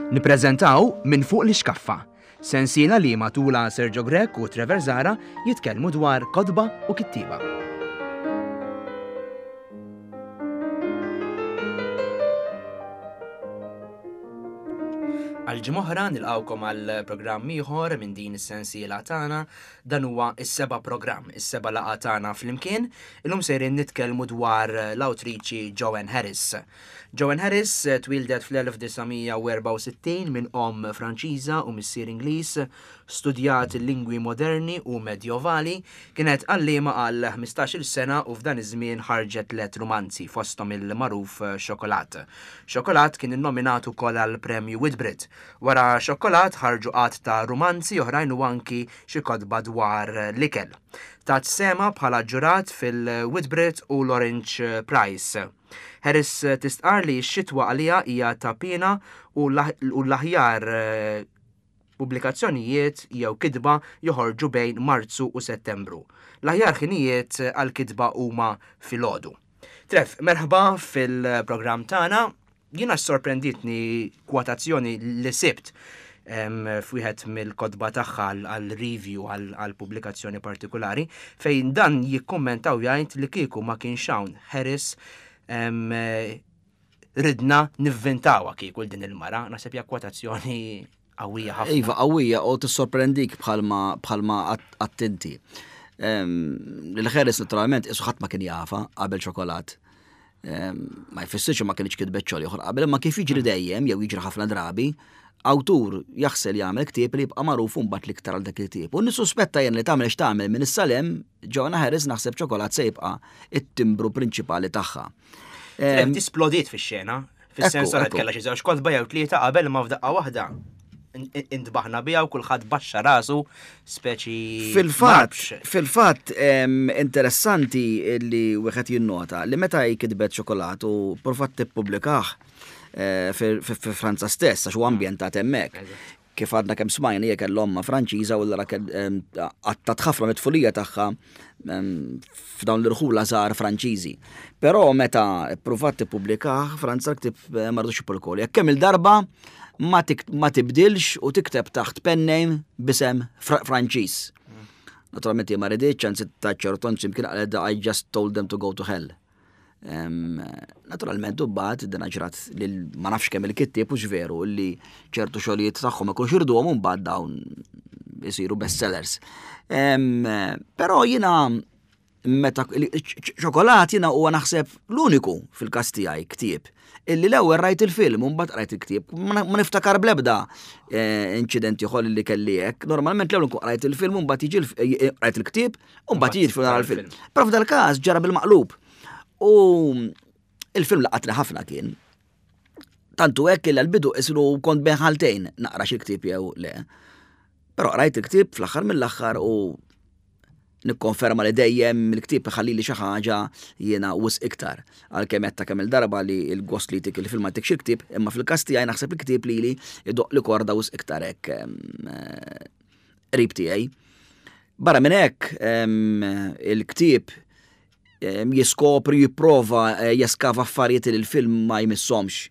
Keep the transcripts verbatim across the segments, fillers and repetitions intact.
Nippreżentaw Minn Fuq l-Ixkaffa, sensiela li matula Sergio Grech u Trevor Zahra jitkellmu dwar kotba u kittieba. Għal ġimgħa oħra nilqgħukom għal programm ieħor minn din is-sensiela tagħna. Dan huwa s-seba' programm, is-seba' laqgħa tagħna flimkien. Illum sejrin nitkellmu dwar l-awtriċi Joanne Harris. Joanne Harris twieldet fl-elf disa' mija u erbgħa u sittin minn omm Franċiża u missier Ingliż, studjat il-lingwi moderni u medjovali, kienet għalliema għal ħmistax-il sena u f'dan iż-żmien ħarġet tliet rumanzi fosthom il-magħruf Xokolat. Xokolat kien innominat ukoll għal Premju Whitbread. Wara Xokolat ħarġu għadd ta' rumanzi oħrajn u anki xi kotba dwar l-ikel. Tat sema bħala ġurat fil-Whitbread u l-Orange Prize. Harris tistqar li x-xitwa għalija hija ta' pina u l-aħjar pubblikazzjonijiet jew kitba joħorġu bejn Marzu u Settembru. L-aħjar ħinijiet għal-kitba huma filgħodu. Trev, merħba fil-programm tagħna. Jiena sorprenditni kwotazzjoni li sibt, em, f'wieħed mill-kotba tagħha għal review għal pubblikazzjoni partikolari, fejn dan jikkummentaw jgħid li kieku ma kienx hawn Harris, em, ridna nivvintawha kieku din il-mara. Naħseb hija kwotazzjoni qawwija ħafna. Iva, qawwija u tissorprendik bħalma, bħalma attenti. Em, Lil Harris naturalment isu ħadd ma kien jafa qabel Xokolat. Em, ma jfissirx ma kienx kitbet xogħol ieħor qabel, imma kif jiġri dejjem jew jiġri ħafna drabi, awtur jaħsel jagħmel ktieb li jibqa' magħruf mbagħad l-iktar għal dak il-ktieb. U nissuspetta jien li tagħmel x'tagħmel minn issa 'l hemm, Joanna Harris naħseb Xokolat se jibqa' it-timbru prinċipali tagħha. Em, Tisplodiet fix-xena, fis-sens Ekku, għad ekku. kellha xi żewġ kotba jew tlieta qabel ma f'daqqa waħda intbaħna biha u kulħadd baxxa rasu speċi Fil-fatt, marbx. fil-fatt, em, interessanti li wieħed jinnota li meta hi kitbet Xokolat u provat tippubblikah, eh, fi, fi, fi Franza stess, għax huwa ambjentat hemmhekk. Kif għadna kemm smajna hija kellha omma Franċiża u allura kell, em, għattat ħafna mit-tfulija tagħha, em, f'dawn l-irħula żgħar Franċiżi. Però meta ppruvat tippubblikah, Franza l-ktieb, eh, ma rridux jippubblikah. Jekk kemm il-darba ma tik-, ma tibdilx u tikteb taħt pen name b'isem Fra-, Franċiż. Naturalment ma riditx, anzi ta' ċertu imkien qalet I just told them to go to hell. Em, naturalment u mbagħad din ġrat lil ma nafx kemm il-kittieb u veru li ċertu xogħlijiet tagħhom ikunu xirduhom u mbagħad dawn isiru bestsellers. Em, però jiena meta Xokolat jiena huwa naħseb l-uniku fil-każ tiegħi ktieb illi l-ewwel rajt il-film u mbagħad rajt il-ktieb. Ma na-, ma niftakar bl-ebda, eh, inċident ieħor li kelli hekk. Normalment l-ewwel nkun rajt il-film u mbagħad jiġi l-, eh, eh, rajt il-ktieb u mbagħad jiġi l-film nara l-film. Però f'dal-każ ġara bil-maqlub. U il-film laqatni ħafna kien. Tantu hekk li l-bidu isru kont bejn ħaltejn naqra xi ktieb jew le. Però rajt il-ktieb fl-aħħar mill-aħħar u nikkonferma li dejjem il-ktieb iħalli li xi ħaġa jiena wisq iktar. Għalkemm qed ta' kemm il-darba li l-gost li tik il-film ma tikx il-ktieb, imma fil-każ tiegħi naħseb il-ktieb lili idoq li korda wisq iktar hekk, em, eh, qrib tiegħi. Barra minn hekk, em, il-ktieb, em, jiskopri, jipprova, eh, jeskava affarijiet li l-film ma jmissomx.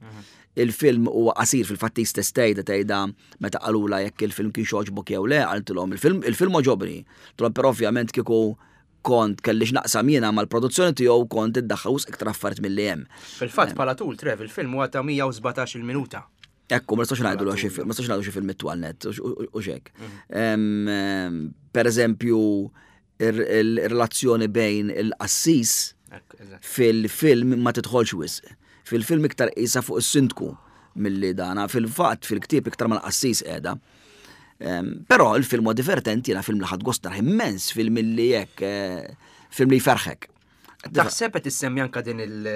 Il-film huwa qasir fil-fatt stess tgħidha tgħidha meta qalula jekk il-film kien xogħbok jew le, qaltilhom il-film, il-film għoġobni. Tilhom però ovvjament kieku kont kellix naqsam jiena mal-produzzjoni tiegħu kont iddaħħal wisq iktar affarijiet milli hemm. Fil-fatt bħala tul Trev il-film huwa ta' mija u sbatax-il minuta. Ekku, ma nistax ngħidu xi film, ma nistax ngħidu xi film it-twal net u x-, u-, u xek. Em, em, per eżempju, il-relazzjoni bejn il-qassis Ekku, eżatt. fil-film ma tidħolx wisq. Fil-film iktar qisha fuq is-sindku milli dana, fil-fatt fil-ktieb iktar mal-qassis qiegħda. Em, però il-film huwa divertenti, jiena film li ħadd gost narah immens, film li hekk, eh, film li jferħek. Taħseb qed issemmi anke din il-,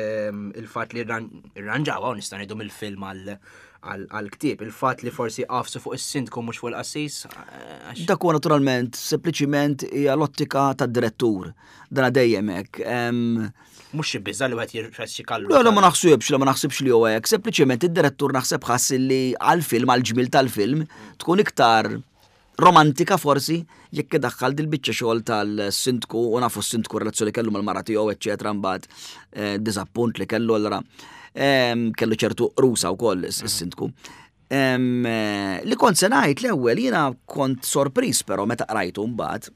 il-fatt li rran-, irranġawha, u nista' ngħidu mill-film għal, għal, għal-ktieb, il-fatt li forsi qafsu fuq is-sindku mhux fuq il-qassis, eh, għax Dak huwa naturalment sempliċiment hija l-ottika tad-direttur. Dana dejjem hekk. Em, Mhux xi biża' li wieħed jirfes xi kallu. Le, le, ma naħsibx, le, ma naħsibx li huwa hekk. Sempliċiment id-direttur naħseb ħass li għall-film, għall-ġmiel tal-film, tkun iktar romantika forsi jekk idaħħal dil-biċċa xogħol tal-sindku u nafu s-sindku relazzjoni kellu mal-mara tiegħu, eċċetera, mbagħad, eh, diżappunt li kellu allura, ehm, kellu ċertu rusa wkoll is-, is-sindku. Em, eh, Li kont se ngħid l-ewwel, jiena kont sorpriż però meta qrajtu mbagħad,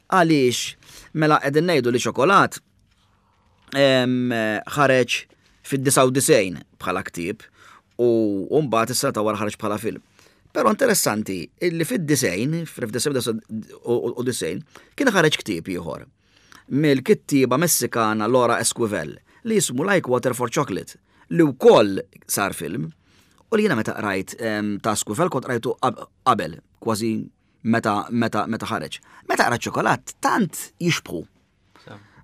għaliex mela qegħdin ngħidu li Ċokolat em, ħareġ fid-disgħa u disgħin bħala ktieb u mbagħad is-sena ta' wara ħareġ bħala film. Però interessanti illi fid-disgħin, fil-disgħa u disgħin, kien ħareġ ktieb ieħor mill-kittieba Messikana Laura Esquivel li jismu Like Water for Chocolate, li wkoll sar film, u li jiena meta qrajt em, ta' Esquivel kont qrajtu qab- qabel kważi meta meta meta ħareġ. Meta qrajt Ċokolat, tant jixbħu.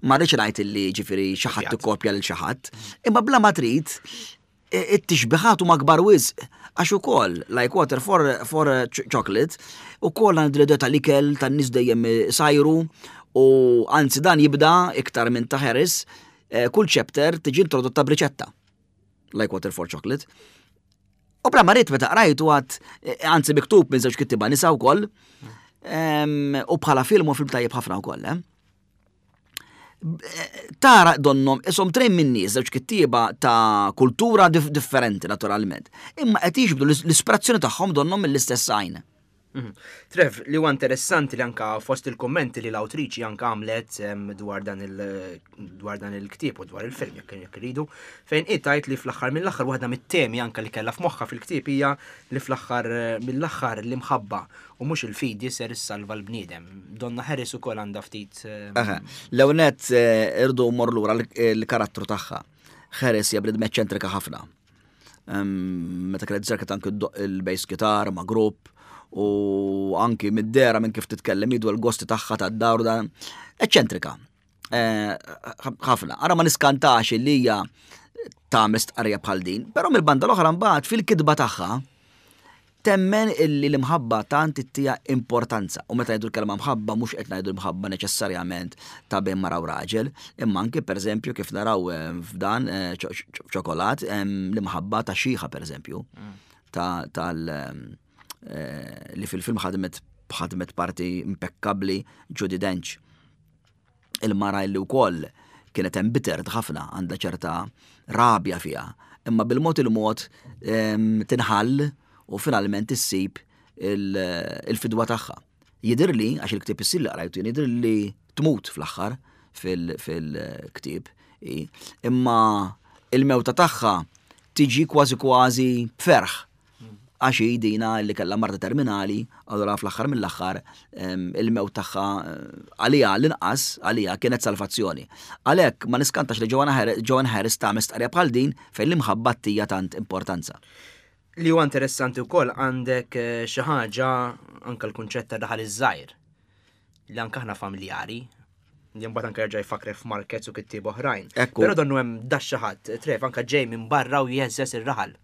Ma rridx ngħid illi ġifieri xi ħadd ikkopja lil xi ħadd, imma bla ma trid i- it-tixbiħat huma kbar wisq, għax ukoll Like Water for, for ch- Chocolate ukoll għandu l-idea tal-ikel tan-nies dejjem sajru, u anzi dan jibda iktar minn ta' Harris, eh, kull chapter tiġi introdotta b'riċetta. Like Water for Chocolate. U bla ma rrid meta qrajtu għad, eh, anzi miktub minn żewġ kittiba nisa wkoll, em, u bħala film u film tajjeb ħafna wkoll, eh? Tara donnom isom trejn minn nies, żewġ kittieba ta' kultura dif differenti naturalment. Imma qed jiġbdu l-ispirazzjoni tagħhom donnom mill-istess għajn. Mhm. Trev, li huwa interessanti li anka fost il-kommenti li l-awtriċi anka għamlet em, dwar dan il dwar dan il-ktieb u dwar il-film jekk jekk iridu, fejn tgħid li fl-aħħar mill-aħħar waħda mit-temi anka li kellha f'moħħha fil-ktieb hija li fl-aħħar eh, mill-aħħar l-imħabba u mhux il-fidi ser issalva l-bniedem. Donna Harris ukoll għandha ftit eh, Aha. L-ewwel nett irdu mor lura l-karattru tagħha. Harris hija bniedma eċċentrika ħafna. Em, Meta kienet żerket anki ddoqq il-bass guitar ma' grupp u anki mid-dehra, minn kif titkellem, jidu l-gosti tagħha tad-dar u dan eċċentrika. Eh, ħafna. Ara ma niskantax li hija tagħmel stqarrija bħal din, però mill-banda l-oħra mbagħad fil-kitba tagħha temmen illi l-imħabba tant ittija importanza. U meta ngħidu l-kelma mħabba, mhux qed ngħidu l-mħabba neċessarjament ta' bejn mara u raġel, imma anki pereżempju kif naraw eh, f'dan eh, Ċokolat, l-imħabba ta' xiħa pereżempju, ta' tal eh, li fil-film ħadmet ħadmet parti impeccabli Judi Dench. Il-mara illi wkoll kienet embittered ħafna, għandha ċerta rabja fiha, imma bil-mod il-mod em, tinħall u finalment issib il- il-fidwa tagħha. Jidirli, għax il-ktieb issir li qrajtu, jidir li tmut fl-aħħar fil-ktieb, imma il-mewta tagħha tiġi kważi kważi b'ferħ għax hi dina li kellha marda terminali, allura fl-aħħar mill-aħħar em, il-mewt tagħha eh, għalija l-inqas għalija kienet salvazzjoni. Għalhekk ma niskantax li Joanna Harris, Joanne Harris tagħmel stqarrija bħal din fejn l-imħabba tija tant importanza. Li huwa interessanti wkoll, għandek eh, xi ħaġa anka l-kunċett ta' raħal iż-żgħir li anka aħna familjari, li mbagħad anke jerġa' jfakre f'Marquez u kittieb oħrajn. Ekku. Però donnu hemm dax xi ħadd, Trev, anka ġej minn barra u jeżżes ir-raħal.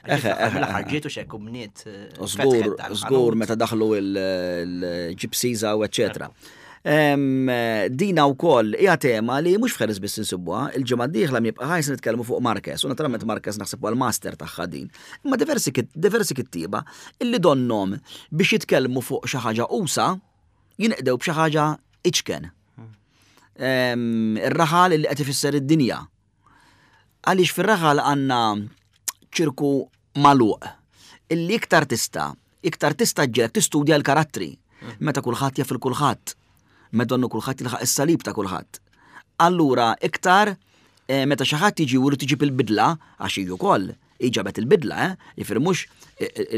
Eħe, eħe, L-aħħar ġiet u xekk u bniet eh, U żgur, fetħet dal-ħanut. żgur meta daħlu il-gypsies u eccetera. Em, Dina wkoll hija tema li mhux f'Harris biss insibuha, il-ġimgħa d-dieħla jibqa' ħajs nitkellmu fuq Marquez, u naturalment Marquez naħseb huwa l-master tagħha din. Imma diversi kit- diversi kittieba illi donnom biex jitkellmu fuq xi ħaġa usa jinqdew b'xi ħaġa iċken. Em, Ir-raħal illi qed ifisser id-dinja. Għaliex fir-raħal għandna ċirku magħluq illi iktar tista' iktar tista' ġġielek tistudja l-karattri. Meta kulħadd jaf il kulħadd. Meta donnu kulħadd jilħaq is-salib ta' kulħadd. Allura iktar eh, meta xi ħadd jiġi u jrid iġib il-bidla, għax hi wkoll ġabet il-bidla, eh? Jiġifieri mhux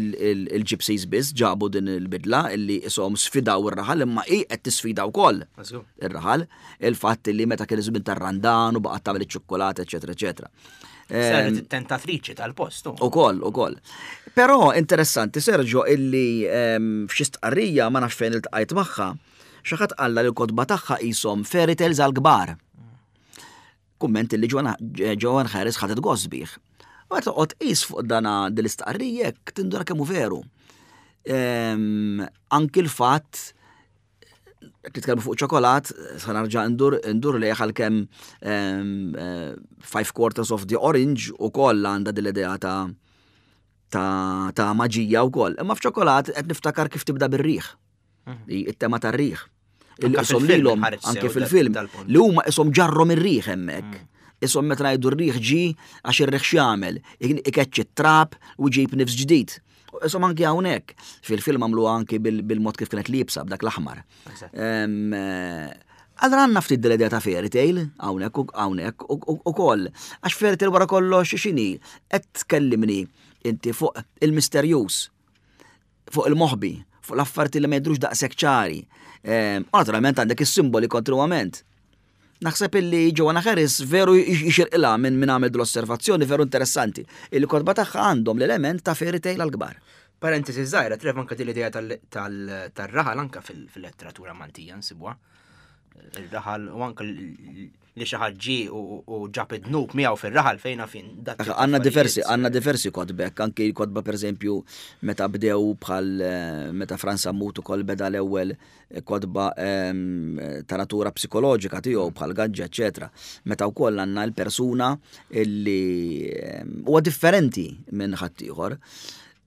il-gypsies biss ġabu din il-bidla illi isom sfidaw ir-raħal, imma hi qed tisfida wkoll Żgur. ir-raħal, il-fatt li meta kien iż-żmien tar-Randan u baqgħet tagħmel iċ-ċokkolato, eċetera, eċetera. Saret it-tentatriċi tal-post. u. U koll, u koll. Però interessanti, Sergio, illi em, f'xi stqarrija, ma nafx fejn iltqajt magħha, xi ħadd qalla li l-kotba tagħha qishom fairy tales għal kbar. Kumment illi Joanne Joanne Harris ħadet gost bih. U għet toqgħod qis fuq dana dil-istqarrija jekk tindura kemm hu veru. Em, Anki l-fatt titkellmu fuq Ċokolat, sa narġa' ndur ndur li għalkemm em, eh, Five Quarters of the Orange u koll għandha dil-idea ta' ta' ta' maġija u koll. Imma f'Ċokolat qed niftakar kif tibda bir-riħ. Li it-tema tar-riħ. Illi Anka isom fil-film lilhom inħareġ anke sew fil-film dal-punt. li huma isom ġarrom ir-riħ hemmhekk. Isom meta ngħidu r-riħ ġi, għax ir-riħ x'jagħmel? Ikeċċi t-trab u ġib nifs ġdid. Insomma anki hawnhekk fil-film għamlu anki bil-mod kif kienet liebsa b'dak l-aħmar. Allora għandna ftit l-idea ta' fairy tale hawnhekk hawnhekk ukoll. Għax fairy tale wara kollox x'inhi? Qed tkellimni inti fuq il-misterjuż, fuq il-moħbi, fuq l-affarijiet li ma jidhrux daqshekk ċari. U naturalment għandek is-simboli kontinwament. Naħseb illi Joanna Harris veru jixirqilha minn min għamel l-osservazzjoni veru interessanti. Il-kotba tagħha għandhom l-element ta' fairy tale għal-kbar. Parentesi żgħira, Trev, anka din l-idea tal-raħal anka fil-letteratura Maltija nsibuha. Il-raħal u anka li xi ħadd ġie u ġab id-dnub miegħu fir-raħal fejna fin. Għandna diversi, għandna diversi kotbek, anki kotba per eżempju meta bdew bħal meta Frans Sammut ukoll beda l-ewwel kotba ta' natura psikoloġika tiegħu bħal Gaġġa, eċetera. Meta wkoll għandna l-persuna illi huwa differenti minn ħaddieħor.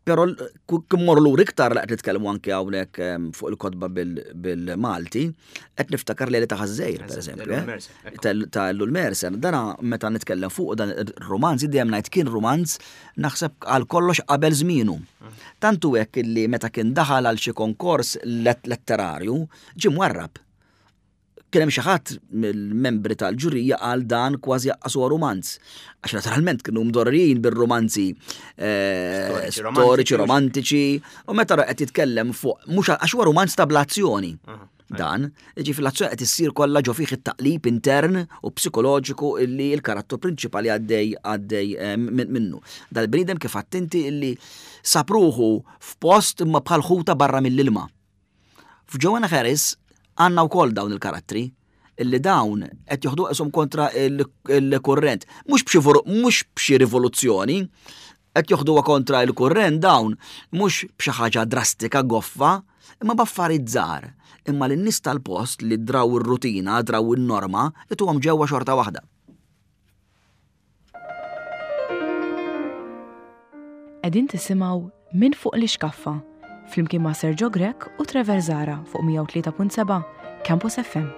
Però kif morru lura iktar li qed nitkellmu anke hawnhekk fuq il-kotba bil-Malti, qed niftakar li ta' Ħażżejr, per eżempju. Ta' Ellul Mercer. Dana meta nitkellem fuq dan ir-romanz, dejjem ngħid kien romanz naħseb għal kollox qabel żmienu. Tantu hekk illi meta kien daħal għal xi konkors letterarju, ġie mwarrab. Kien hemm xi ħadd mill-membri tal-ġurija għal dan kważi jaqqasu romanz. Għax naturalment kienu mdorrijin bir-romanzi storiċi, romantiċi, u meta qed jitkellem fuq mhux għax huwa romanz ta' blazzjoni. Dan, jiġifieri l-azzjoni qed issir kollha ġo fih it-taqlib intern u psikoloġiku illi l-karattru prinċipali għaddej għaddej minnu. Dal-bniedem kif attenti illi sapruħu f'post imma bħal ħuta barra mill-ilma. F'Joanna Harris għandna wkoll dawn il-karattri illi dawn qed joħdu qishom kontra il-kurrent. Mhux b'xi mhux b'xi rivoluzzjoni, qed joħduha kontra il-kurrent dawn mhux b'xi ħaġa drastika goffa, imma b'affarijiet żgħar. Imma lin-nies tal-post li draw ir-rutina, draw in-norma, ituhom ġewwa xorta waħda. Qegħdin tisimgħu Minn Fuq l-Ixkaffa flimkien ma' Sergio Grech u Trevor Zahra fuq mija u tlieta punt seba' Campus F M.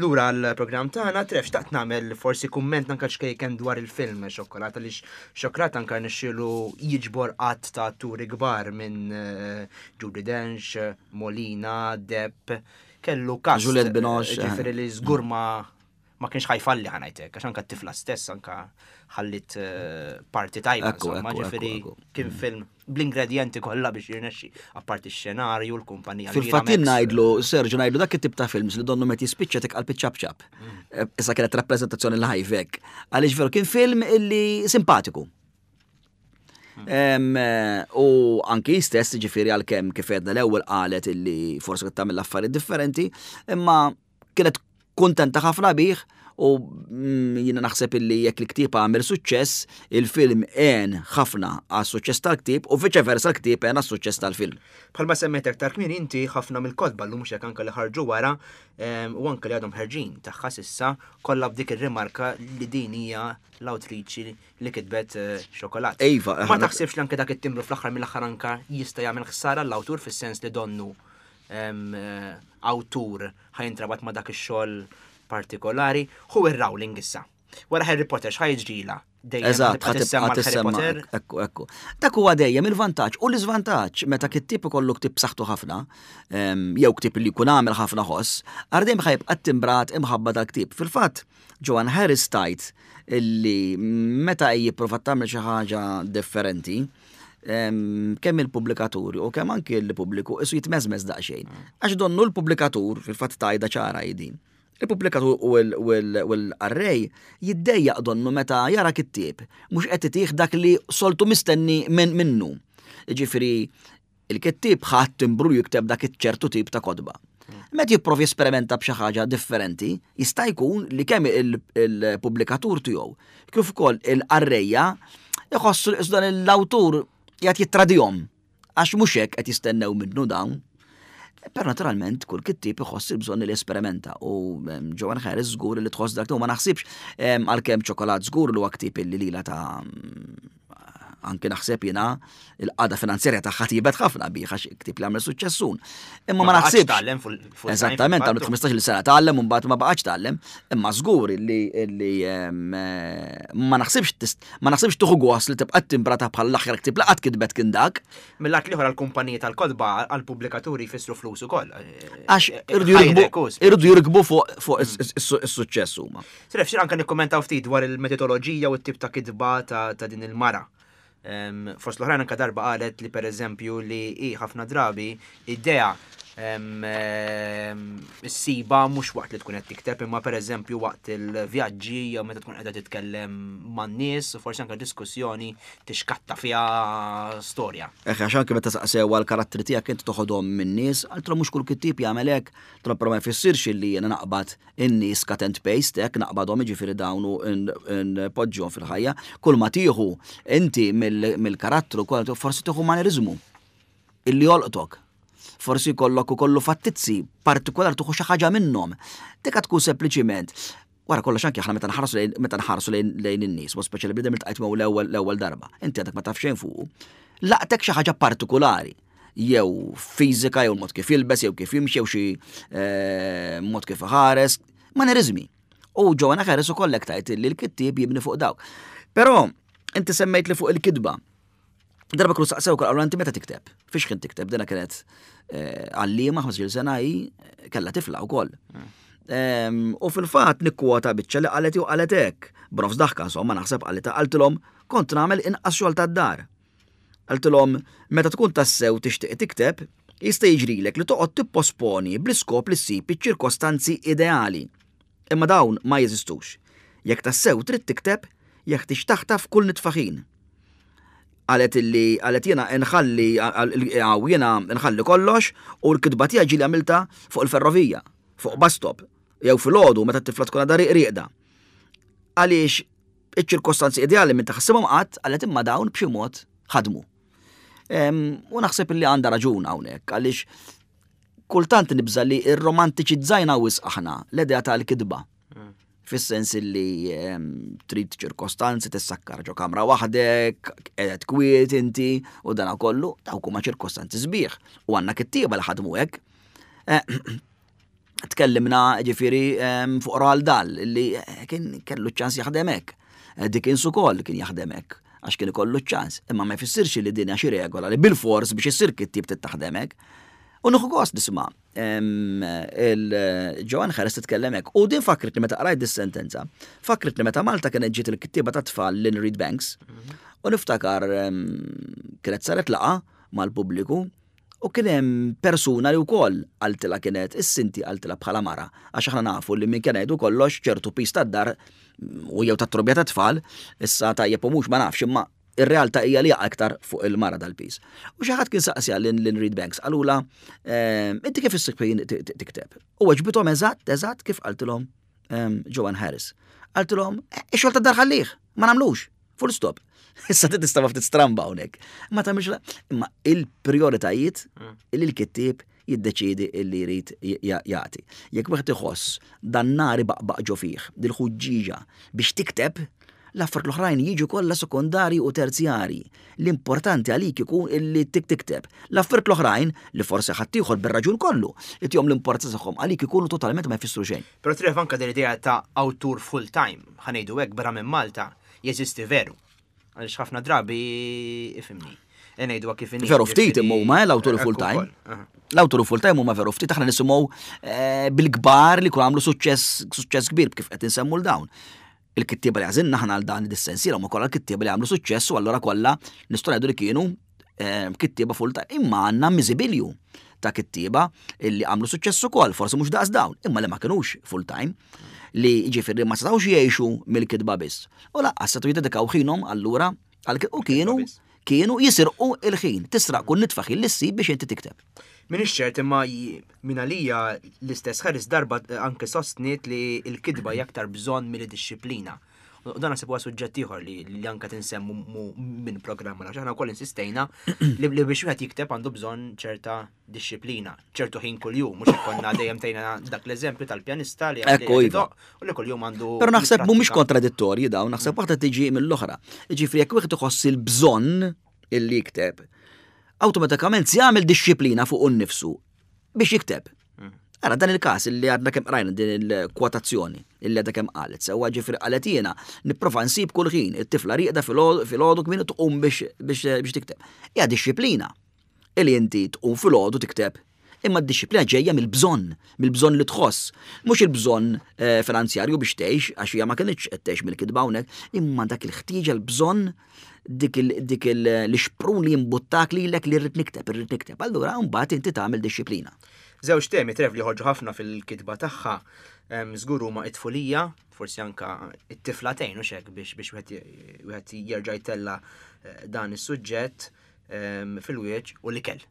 Lura għall-programm tagħna, Trev, xtaqt nagħmel forsi kumment anke xkejken dwar il-film Xokkolata, għaliex Xokkolata anke nixxielu jiġbor qatt ta' atturi kbar minn, eh, Judi Dench, Molina, Depp, kellu cast, Juliette Binoche, eh. ġifieri li żgur ma, ma kienx ħajfalli ħanajtek, għax anke t-tifla stess anke ħallit, eh, parti tajba, Ekku, insomma, ekku, ġifieri ekku, ekku. kien film bl-ingredienti kollha biex jirnexxi, apparti x-xenarju, l-kumpanija Fil-fatt Miramax. ngħidlu, Sergio, ngħidlu dak it-tip ta' films li donnu meta jispiċċa tik qalb iċ-ċapċap. Mm. Eh, issa kienet rappreżentazzjoni live hekk. Għaliex veru kien film illi simpatiku. Mm. Em, eh, u anki stess, ġifieri għalkemm kif għedna l-ewwel qalet illi forsi kien tagħmel affarijiet differenti, imma kienet kuntenta ħafna bih u mm, jiena naħseb illi jekk il-ktieb għamel suċċess, il-film għen ħafna għas-suċċess tal-ktieb u viċe versa l-ktieb għen għas-suċċess tal-film. Bħalma semmejt aktar kmieni inti ħafna mill-kotba llum mhux hekk anke li ħarġu wara, em, u anke li għadhom ħerġin tagħha s'issa kollha b'dik ir-rimarka li din hija l-awtriċi li kitbet, eh, Xokkolat. Iva, Ma aħna taħsibx li anke dak it-timbru fl-aħħar mill-aħħar anke jista' jagħmel ħsara l-awtur fis-sens li donnu, em, eh, awtur ħajintrabat ma' dak ix-xogħol partikolari, hu ir-Rowling issa. Wara Harry Potter x'ħaj jiġrila? Dejjem Eżatt, tibqa' tissemma ħa l-Harry tissemma, Potter. Ekku, ekku. Dak huwa dejjem il-vantaġġ u l-iżvantaġġ meta kittieb ikollu ktieb b'saħħtu ħafna, em, jew ktieb li jkun għamel ħafna ħoss, għar dejjem ħajbqa' timbrat imħabba dal-ktieb. Fil-fatt, Joanne Harris tajt illi meta hi jipprova tagħmel xi ħaġa differenti, em, kemm il-pubblikaturi u kemm anki l-pubbliku isu jitmeżmeż daqsxejn. Għax donnu l-pubblikatur, fil-fatt tajda ċara hi din. Il-pubblikatur u l-, u l-, u l-qarrej jiddejjaq donnu meta jara kittieb, mhux qed itih dak li soltu mistenni minn minnu. Jiġifieri, il-kittieb ħadd timbru jikteb dak iċ-ċertu tip ta' kotba. Meta jipprovi esperimenta b'xi ħaġa differenti, jista' jkun li kemm il-, il-pubblikatur tiegħu kif ukoll il-qarrejja iħossu li dan l-awtur qiegħed jittradihom għax mhux hekk qed jistennew minnu dawn. Però naturalment kull kittieb iħoss il-bżonn li jesperimenta u, em, Joanne Harris żgur li tħoss dak, ma naħsibx, em, għalkemm Ċokolat żgur li huwa ktieb illi lila ta' Anke naħseb jiena il-qagħda finanzjarja tagħha tjiebet ħafna bih għax ktieb li għamel suċċessun. Imma ma baqgħetx naħsibx. tgħallem full- full time, Eżattament, għamlet fil-fattu. ħmistax-il sena tgħallem u mbagħad ma baqgħetx tgħallem, imma żgur li li em, eh, ma naħsibx tist- ma naħsibx tieħu gost li tibqa' timbrata bħal l-aħħar ktieb li qatt kitbet kien dak, Mill-lat l-ieħor għall-kumpaniji tal-kotba, għall-pubblikaturi jfissru flus ukoll. Għax Eh, irridu jirkbu ħajrek, u irridu jirkbu fuq fuq is- is- is- is-suċċess huma. Siref, xir anka nikkommentaw ftit dwar il-metodoloġija u t-tip ta' kitba ta' ta' din il-mara. Em, Fost l-oħrajn anka darba qalet li per eżempju li hi ħafna drabi idea em, em, issibha mhux waqt li tkun qed tikteb imma per eżempju waqt il-vjaġġi jew meta tkun qiegħda titkellem man-nies u forsi anka diskussjoni tixkatta fiha storja. Eħe, għax anke meta saqsew għal-karattri tiegħek inti toħodhom min-nies, għaltru mhux kull kittieb jagħmel hekk, tro però ma jfissirx illi jiena naqbad in-nies cut and paste hekk naqbadhom, jiġifieri dawn u npoġġihom fil-ħajja. Kull ma tieħu inti mill- mill-karattru kol forsi tieħu maneriżmu illi jolqtok. Forsi jkollok ukollu fattizzi partikolar tieħu xi ħaġa minnhom. Dik tkun sempliċiment. Wara kollox anke aħna meta nħarsu lejn meta nħarsu lejn lejn in-nies, mod speċjali bniedem iltqajt miegħu l-ewwel l-ewwel darba. Inti għadek ma taf xejn fuqu. Laqtek xi ħaġa partikolari, jew fiżika, jew mod kif jilbes, jew kif jimxi, jew xi eh, mod kif iħares, maneriżmi. U Joanna Harris ukoll hekk tajt li l-kittieb jibni fuq dawk. Però inti semmejt li fuq il-kitba. Darba kienu saqsew qalu inti meta tikteb? Fiex kien tikteb? Dina kienet eh, għallima ħmistax-il sena hi kellha tifla wkoll. Em, U fil-fatt nikkwota biċċa li qalet jew qalet hekk. B'nofs daħka insomma naħseb qalet qaltilhom kont nagħmel inqas xogħol tad-dar. Qaltilhom meta tkun tassew tixtieq tikteb, jista' jiġrilek li toqgħod tipposponi bl-iskop li ssib iċ-ċirkostanzi ideali. Imma dawn ma jeżistux. Jekk tassew trid tikteb, jeħtieġ taħtaf kull nitfa ħin. Qalet illi qalet jiena nħalli għaw jiena nħalli kollox u l-kitba tiegħi ġieli għamilta fuq il-ferrovija, fuq bus stop, jew filgħodu meta t-tifla tkun għadha rieqda. Għaliex iċ-ċirkostanzi ideali minn taħsibhom qatt, qalet imma dawn b'xi mod ħadmu. Em, U naħseb illi għandha raġun hawnhekk għaliex kultant nibża li ir-romantiċizzajna wisq aħna l-idea tal-kitba. Fis-sens li em, trid ċirkostanzi tissakkar ġo kamra waħdek, qed kwiet inti u dana kollu, dawk huma ċirkostanzi sbieħ. U għandna kittieba li ħadmu hekk. Eh, Tkellimna ġifieri em, fuq Roald Dahl li eh, kien kellu ċans jaħdem hekk. Eh, Dickens ukoll kien jaħdem hekk għax kien ikollu ċans. Imma ma jfissirx li din hija xi regola li bil-fors biex issir kittieb trid taħdem hekk. U nieħu gost nisma' em, il-Joanne Harris titkellem hekk. U din fakritni meta qrajt dis-sentenza. Fakritni meta Malta kienet ġiet il-kittieba ta' tfal Lynn Reid Banks. U niftakar em, kienet saret laqgħa mal-pubbliku u kien hemm persuna li wkoll qaltilha kienet is-sinti qaltilha bħala mara għax aħna nafu li minn kien ngħidu kollox ċertu piż tad-dar u jew tat-trobbija ta' tfal, issa tajjeb u mhux ma nafx imma ir-realtà hija li jaqa' iktar fuq il-mara dal-piż. U xi ħadd kien saqsija lil Lynn Reid Banks qalula ehm, inti kif issib ħin tikteb? U weġbithom eżatt eżatt kif qaltilhom ehm, Joanne Harris. Qaltilhom ix-xogħol tad-dar ħallih, ma nagħmlux. Full stop. Issa tista' ftit stramba hawnhekk. Ma tagħmilx la- imma il-prioritajiet illi l-kittieb jiddeċidi illi jrid jagħti. Jekk wieħed iħoss dan nar baqbaq ġo fih, dil-ħuġġiġa biex tikteb, l-affarijiet l-oħrajn jiġu kollha sekondari u terzjari. L-importanti għalik ikun illi tik tikteb. L-affarijiet l-oħrajn li forsi ħaddieħor bir-raġun kollu, itihom l-importanza tagħhom għalik ikunu totalment ma jfissru xejn. Però tref anka din l-idea ta' awtur full time, ħa ngħidu hekk barra minn Malta, jeżisti veru. Għaliex ħafna drabi ifhimni. Ngħidu kif inhi. Veru ftit imma huma eh, l-awturi Ekku full time. ukoll. Aha. L-awturi full time huma veru ftit aħna nisimgħu eh, bil-kbar li kun għamlu suċċess suċċess kbir kif qed insemmu l dawn. Il-kittieba li għażilna aħna għal dan id-sensiela huma kollha l-kittieba li għamlu suċċess u allura kollha nistgħu ngħidu li kienu eh, kittieba full time. Imma għandna miżibilju ta' kittieba illi għamlu suċċess ukoll, forsi mhux daqs dawn, imma li ma kinux full time li ġifieri ma setgħux jgħixu mill-kitba biss. U lanqas setgħu jiddedikaw ħinhom allura għal u kienu biss. kienu jisirqu il-ħin, tisraq kull nitfa ħin li ssib biex inti tikteb. M'iniex ċert imma j- min għalija l-istess Harris darba eh, anke sostniet li l-kitba hija aktar bżonn milli dixxiplina. U dan naħseb huwa suġġett ieħor li li anke tinsemmu mu- minn programm għax aħna wkoll insistejna li li biex wieħed jikteb għandu bżonn ċerta dixxiplina, ċertu ħin kuljum, mhux ikollna dejjem tejna dak l-eżempju tal-pjanista li Ekku, li iva. jdoqq u li kuljum għandu Però naħseb mhumiex jipprattika. kontradittorji dawn, naħseb waħda tiġi mill-oħra. Ġifieri jekk wieħed iħoss il-bżonn illi jikteb, awtomatikament se jagħmel dixxiplina fuq innifsu biex jikteb. Ara dan il-każ illi għadna kemm qrajna din il-kwotazzjoni illi għadha kemm qalet, sewwa ġifieri qalet jiena nipprova nsib kull ħin it-tifla rieqda filgħodu kmieni tqum biex biex biex tikteb. Hija dixxiplina illi inti tqum filgħodu tikteb. Imma d-dixxiplina ġejja mill-bżonn, mill-bżonn li tħoss. Mhux il-bżonn eh, finanzjarju biex tgħix, għax hija ma kinitx qed tgħix mill-kitba hawnhekk, imma dak il-ħtieġa l-bżonn dik il- dik il- l-ixprun li jimbuttak lilek li rrid nikteb, irrid nikteb. Allura mbagħad inti tagħmel dixxiplina. Żewġ temi Trev li ħorġu ħafna fil-kitba tagħha em, żgur huma it-tfulija, forsi anka it-tifla tgħin u xek biex biex wieħed wieħed jerġa' jtella eh, dan is-suġġett em, fil-wieġ u l-ikel.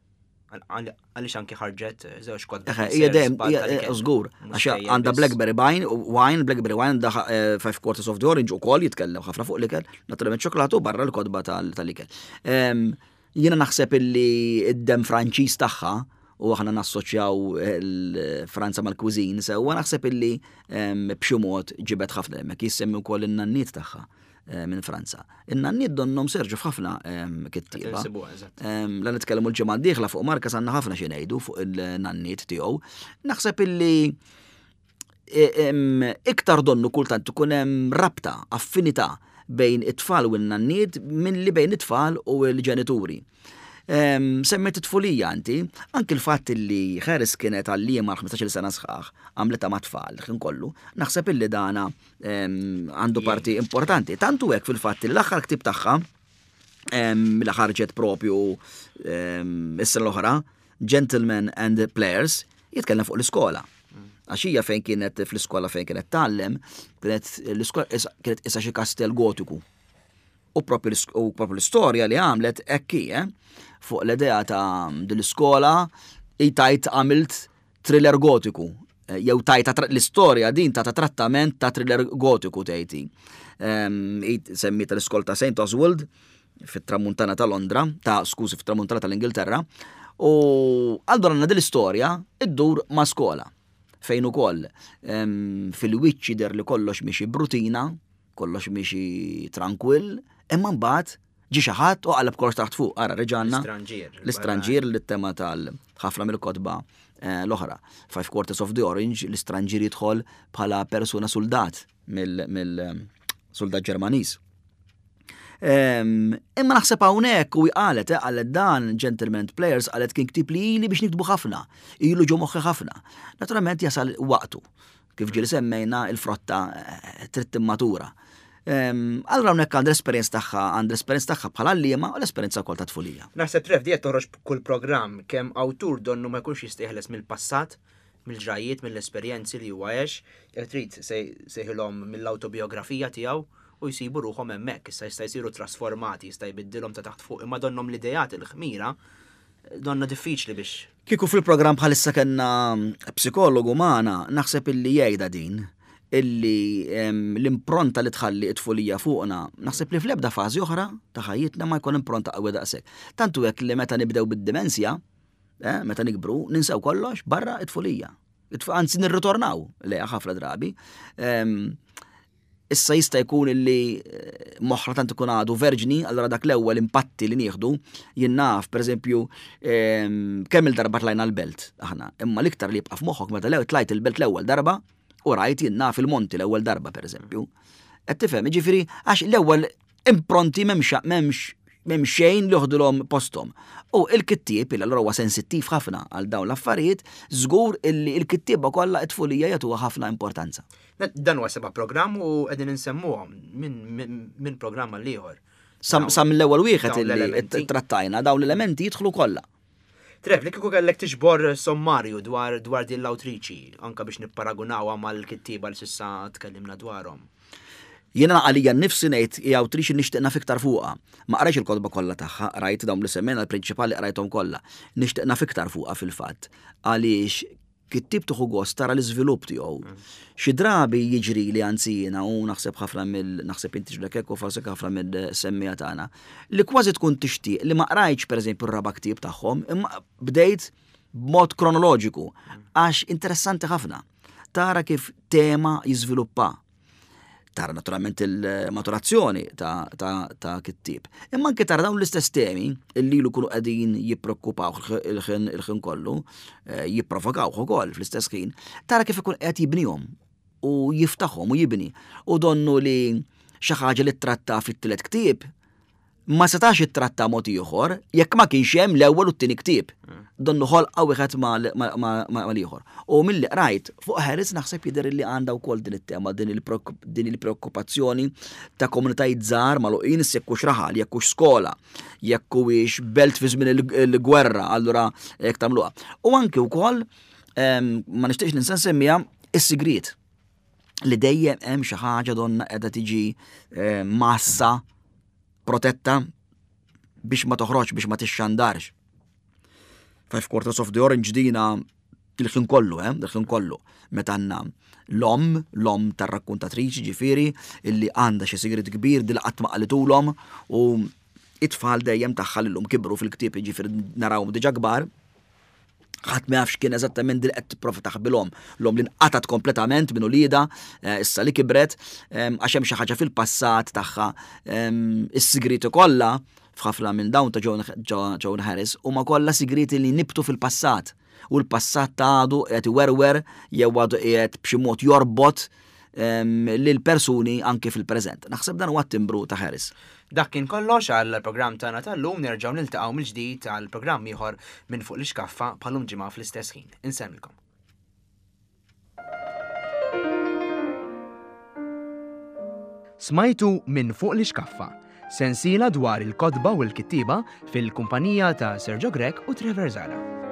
Għal- Għaliex anki ħarġet eh, żewġ kotba. Eħe, hija dejjem, hija eh, żgur, għax għandha Blackberry Wine, wine, Blackberry Wine, għandha eh, Five Quarters of the Orange ukoll jitkellem ħafna fuq l-ikel, naturalment ċokolatu barra l-kotba tal- tal-ikel. Em, Jiena naħseb illi id-dem Franċiż tagħha u aħna nassoċjaw il-Franza mal-cuisine, sewwa naħseb illi em, b'xi mod ġibet ħafna hemmhekk jissemmi wkoll in-nanniet tagħha eh, minn Franza. In-nanniet donnhom serġu f'ħafna em, kittieba. Insibuha, eżatt. Em, La nitkellmu l-ġimgħa d-dieħla fuq Marquez għandna ħafna xi ngħidu fuq il-nanniet tiegħu. Naħseb illi e, em, iktar donnu kultant ikun hemm rabta, affinità bejn it-tfal u n-nanniet minn li bejn it-tfal u l-ġenituri. Em, Semmejt it-tfulija inti, anki l-fatt li Harris kienet għalliema għal ħmistax-il sena sħaħ, għamlitha ma' tfal, ħin kollu, naħseb illi dana em, għandu parti importanti. Tantu hekk fil-fatt li l-aħħar ktib tagħha, em, li ħarġet propju em, is-sena l-oħra, Gentlemen and Players, jitkellem fuq l-iskola. Għax hija fejn kienet fl-iskola fejn kienet tgħallem, kienet l-iskola kienet isa xi kastell gotiku. U propju l- u propju l-istorja li għamlet hekk hi, eh? Fuq l-idea ta' din l-iskola tgħid għamilt thriller gotiku. Eh, Jew tajta tra- l-istorja din ta' ta' trattament ta' thriller gotiku tgħid. Semmita l-iskola ta' Saint Oswald fit-tramuntana ta' Londra, ta' skużi fit-tramuntana tal-Ingilterra, u allura għandna din l-istorja iddur ma' skola fejn ukoll em, fil-wiċċ jidher li kollox miexi b'rutina, kollox miexi trankwill, imma mbagħad ġi xi ħadd u qaleb kollox taħt fuq, ara reġgħanna L-istranġier. l-istranġier li tema tal ħafna mill-kotba eh, l-oħra. Five Quarters of the Orange, l-istranġier jidħol bħala persuna soldat mill-soldat Ġermaniż. Em, Imma naħseb hawnhekk u qalet, eh, qalet dan Gentlemen Players qalet kien ktib li ili biex niktbu ħafna, ilu ġo moħħi ħafna. Naturalment jasal waqtu. Kif ġieli semmejna il-frotta eh, trid timmatura. Em, Allura hawnhekk għandha l-esperjenza tagħha, għandha l-esperjenza tagħha bħala għalliema u l-esperjenza wkoll ta' tfulija. Naħseb Trev di qed toħroġ kull programm kemm awtur donnu ma jkunx jista' jeħles mill-passat, mill-ġrajiet, mill-esperjenzi li huwa għex, jekk trid sejħilhom mill-autobiografija tiegħu u jsibu ruħhom hemmhekk, issa jista' jsiru trasformati, jista' jbiddilhom ta' taħt fuq, imma donnhom l-idejat il-ħmira donna diffiċli biex Kieku fil-programm bħalissa kellna psikologu magħna, naħseb illi jgħidha din, illi em, l-impronta li tħalli it-tfulija fuqna, naħseb li fl-ebda fażi oħra ta' ħajjitna ma jkun impronta qawwi daqshekk. Tantu hekk li meta nibdew bid-dimensja, eh, meta nikbru, ninsew kollox barra it-tfulija. It- Anzi nirritornaw lejha ħafna drabi. Em, Issa jista' jkun illi eh, moħħna tant ikun għadu verġni, allura dak l-ewwel impatti li nieħdu, jien naf, pereżempju, em, kemm il-darba tlajna l-belt aħna, imma l-iktar li jibqa' f'moħħok meta l tlajt il-belt l-ewwel darba u rajt jien naf il-monti l-ewwel darba pereżempju. Qed tifhem, jiġifieri għax l-ewwel impronti m'hemmx m'hemmx m'hemm xejn li joħdulhom posthom. U il-kittieb il allura huwa sensittiv ħafna għal dawn l-affarijiet, żgur illi il-kittieba kollha it-tfulija jagħtuha ħafna importanza. Dan huwa seba' programm u qegħdin insemmuhom minn min, min programm għal ieħor. Sam, sam l-ewwel wieħed dawn illi l-elementi. trattajna dawn l-elementi jidħlu kollha. Trev, li kieku kellek tiġbor sommarju dwar dwar din l-awtriċi, anka biex nipparagunawha mal-kittieba li s'issa tkellimna dwarhom. Jiena għalija nnifsi ngħid hija awtriċi nixtieq naf iktar fuqha. Ma qrajtx il-kotba kollha tagħha, qrajt dawn li semmejna l-prinċipali qrajthom kollha. Nixtieq naf iktar fuqha fil-fatt. Għaliex Kittieb tieħu gost tara l-iżvilupp tiegħu. Xi drabi jiġri li anzi jiena u naħseb ħafna mill naħseb inti ġlek hekk u forsi ħafna mill-semmiegħa tagħna li kważi tkun tixtieq li ma qrajtx pereżempju r-raba' ktieb tagħhom, imma bdejt b'mod kronoloġiku għax interessanti ħafna. Tara kif tema jiżviluppa. Tara naturalment il-maturazzjoni ta', ta, ta' kittieb. Imma anke tara dawn l-istess temi illi ilu kunu qegħdin jippreokkupaw il-ħin il-ħin kollu, eh, jipprovokawh ukoll fl-istess ħin, tara kif ikun qed jibnihom u jiftaħhom u jibni. U donnu li xi ħaġa li tratta fit-tielet ktieb ma setax ittratta mod ieħor jekk ma kienx hemm l-ewwel u t-tieni ktieb. Donnu ħolqa wieħed mal-ieħor. U milli qrajt fuq Harris naħseb jidher li għandha wkoll din it-tema, din il-preokkupazzjoni ta' komunitajiet żgħar magħluqin jekk hux raħal, jekk hux skola, jekk huwiex belt fi żmien il-gwerra, allura jekk tagħmluha. U anke wkoll ma nixtieqx ninsa nsemmiha is-sigriet li dejjem hemm xi ħaġa donna qiegħda tiġi massa protetta biex ma toħroġ, biex ma tixxandarx. Five Quarters of the Orange dina il-ħin kollu, eh, il-ħin kollu. Meta għandna l-omm, l-omm tar-rakkuntatriċi ġifieri, illi għandha xi sigriet kbir dil qatt ma qalitulhom u it-tfal dejjem tagħha lillum kibru fil-ktieb ġifieri narawhom diġà kbar. Ħadd ma jafx kien eżattament dil qed tipprova taħbilhom. L-omm li nqatgħet kompletament minn uliedha, issa li kibret, għax hemm xi ħaġa fil-passat tagħha, is-sigriti kollha f'ħafna minn dawn ta' Joan Harris huma kollha sigriti li nibtu fil-passat. U l-passat ta' għadu qed iwerwer jew għadu qiegħed b'xi mod jorbot lil persuni anke fil-preżent. Naħseb dan huwa t-timbru ta' Harris. Dak kien kollox għal programm tagħna tal-lum, nerġgħu niltaqgħu mill-ġdid għal programm ieħor minn fuq l-ixkaffa bħalum ġimgħa fl-istess ħin. Insellmilkom. Smajtu minn fuq l-ixkaffa, sensiela dwar il-kotba u l-kittieba fil-kumpanija ta' Sergio Grech u Trevor Zara.